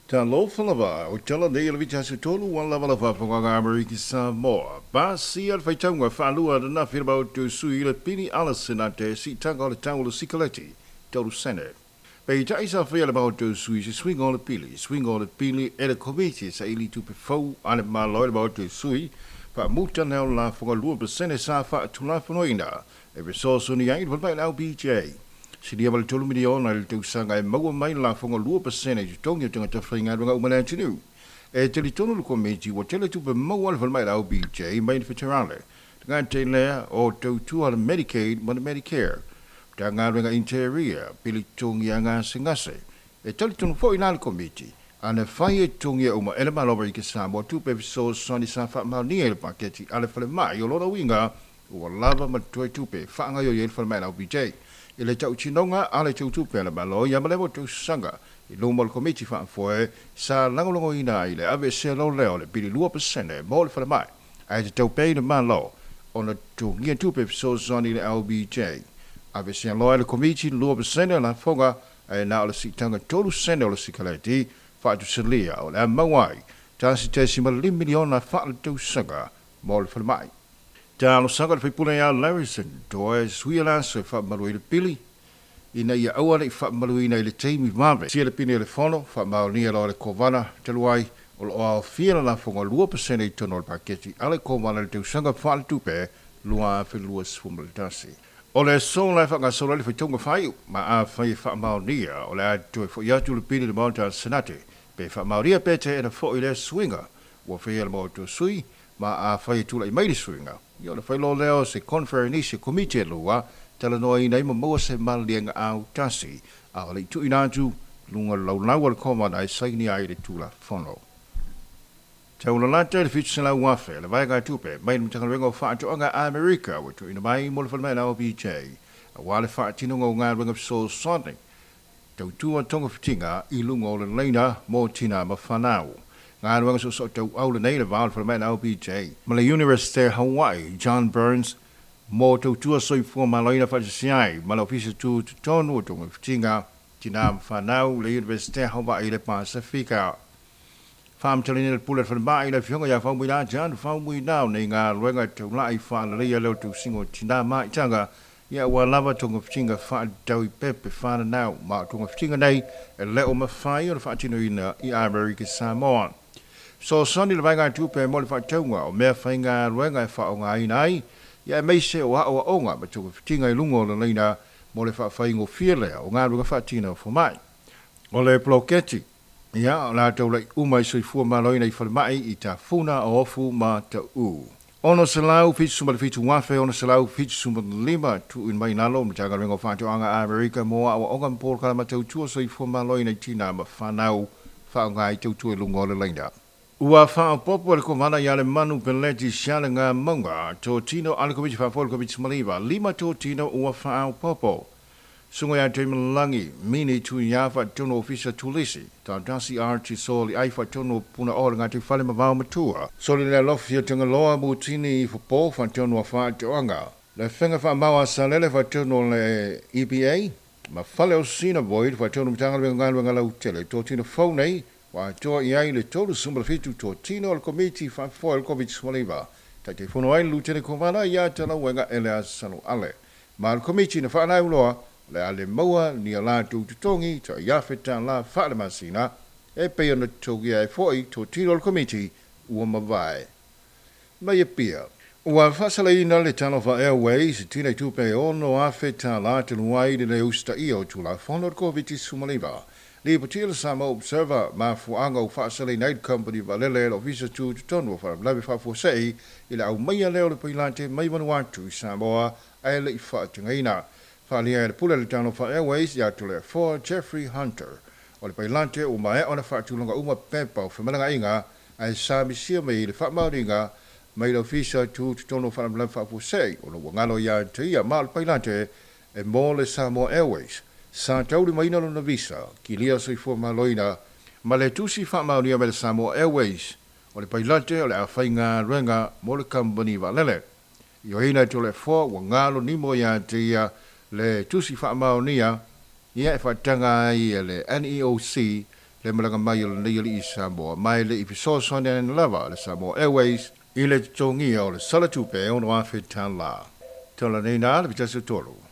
Talofa lava, o tala nei le vita se tolu ua lava la faafogaga Amerika Samoa. Pasia le faitauga faalua ananafi le Maota o Sui i le pili ala Senate siitaga o le tau o le sikaleti, 3 sene. Peitai sa faia le Maota o Sui se suiga o le pili, suiga o le pili e le Komiti saili tupe fou a le Malo i le Maota o Sui, faamuta lea o le lafoga 2% sa faatulafonoina e fesoasoani ai i le falemai le LBJ. Silia ma le 3 miliona i le tausaga e maua mai le lafoga 2% i totogi o tagata faigaluega uma le atunuu. E talitonu le Komiti ua tele tupe maua le falemai le LBJ mai le federale. Tagata lea o tautua le Medicaid ma le Medicare. Matagaluega Interior, pili totogi a gasegase. E talitonu foi la le Komiti, ana fai e totogia uma e le Malo Amerika Samoa tupe fesoasoani sa faamaonia i le paketi a le falemai, o lona uiga ua lava ma toe tupe faagaoioi ai le falemai le LBJ. I le tautinoga a le tautupe a le Malo ia ma le tausaga i luma o le Komiti Faafoe sa lagolagoina ai le aveesea lea o le pili 2% mo le falemai, ae tatau pea i le Malo ona totogia tupe fesoasoani i le LBJ. Aveesea loa e le Komiti le 2% o lafoga ae na o le siitaga 3 sene o le sikaleti, faatusalia o le a maua ai 1.5 miliona faaletausaga mo le falemai. Talosaga le faipule ia Larison toe suia le aso e faamalu ai le pili ina ia aua nei faamaluina i le taimi vave. Sia le pili o le fono, faamaonia loa le Kovana talu ai o lo o aofia le lafoga 2% i totonu o le paketi a le Kovana i le tausaga faaletupe 2021. O le aso la e faagasolo ai le faitauga faaiu, ma afai e faamaonia, o le a toe foi atu le pili i le Maota a le Senate pe faamaonia pe teena foi lea suiga ua faia le Maota o Sui. Ma afai e tulai mai le suiga, ia o le fai loa lea o se conference e komiti e lua talanoaina ai ma maua se maliliega autasi a o le i tuuina atu luga o le laulau a le Kovana e saini ai le Tulafono. Taulalata i le 700,000 le vaega tupe mai le Matagaluega o Faatoaga a Amerika ua tuuina mai mo le falemai OBJ aua le faatinoga o galuega fesoasoani tautua togafitiga i luga o le laina mo tina ma fanau. Galuega soosoo tauau lenei le va o le falemai OBJ ma le University o Hawaii John Burns mo tautua soifua malōina faatasi ai ma le Ofisa Tutotonu o Togafitiga Tina ma Fanau le University o Hawaii le Pasifika. Faamatalaina le pule falemai le afioga ia Faumuina John Faumuina o nei galuega taulai faaleleia lea o tausiga o tinā maitaga ia ua lava togafitiga faatatau i pepe fananau, ma o togafitiga nei e le o mafai ona faatinoina i Amerika Samoa. Fesoasoani le vaega tupe mo le faatauga o mea faigaluega e faaaogaina ai ia aemaise o aoaoga ma togafitiga i luga o le laina mo le faafaigofie lea o galuega faatino fomai. O le poloketi ia o le a taulai uma i soifua malōina i falemai i Tafuna o Ofu ma Taʻu. 677,675 tuuina mai lalo o Matagaluega o Faatoaga a Amerika mo aoaoga ma polokalame tautua soifua malōina i tina ma fanau faaaoga i tautua i luga o le laina. Ua faaopoopo e le Kovana ia Lemanu Peleti Sialegamauga totino a le Komiti Faafoe o le Koviti-19, lima totino ua faaopoopo. Susuga ia Tuimalagi Mini Tuia faatonu Ofisa Turisi, Tautasi Archie Soli ai faatonu Punaoa le Gataifale ma Vaomatua. Soli le Alofi o Tagaloa Mutini Fopo faatonu o Faatoaga. Le Fega Faamau a Salele faatonu o le EPA ma Fale o Sina Boyd faatonu Matagaluega Galuega Lautele. Totino fou nei ua atoa i ai le 37 totino o le Komiti Faafoe o le Koviti-19. Taitaifono ai le Lutene Kovana ia Talauega Eleasa Ale. Ma le Komiti na faalauiloa o le a le maua ni a latou totogi $1,000 faalemasina e pei ona totogia ai foi totino o le Komiti ua mavae. Mai Apia. Ua faasalaina le Talofa Airways tina i tupe $6,000 talu ai le le usitaia o Tulafono o le Koviti-19. Lipotia le Samoa Observer mafuaaga ua faasalaina ai le company vaalele e le Ofisa Tutotonu o Faalavelave Faafuasei i le aumaia lea o le pailate mai Vanuatu i Samoa ae le i faatagaina. Faaalia e le pule le Talofa Airways ia Toleafoa Jeffrey Hunter. O le pailate ua maea ona faatulaga uma pepa o femalagaaiga ae sa misia mai le faamaoniga mai le Ofisa Tutotonu o Faalavelave Faafuasei ona ua galo ia te ia, ma o le pailate e mo le Samoa Airways sa taulimaina lona visa kilia soifua malōina ma le tusi faamaonia mai le Samoa Airways o le pailate o le a faigaluega mo le kamupani vaalele. Ioeina e Toleafoa ua galo nimo ia te ia le tusi faamaonia ia e faataga ai e le NEOC Le malaga mai o lenei alii Samoa, ma e le i fesoasoani ane lava le Samoa Airways i le totogia o le sala tupe e $6,000. Tala nei na le 1 o 3.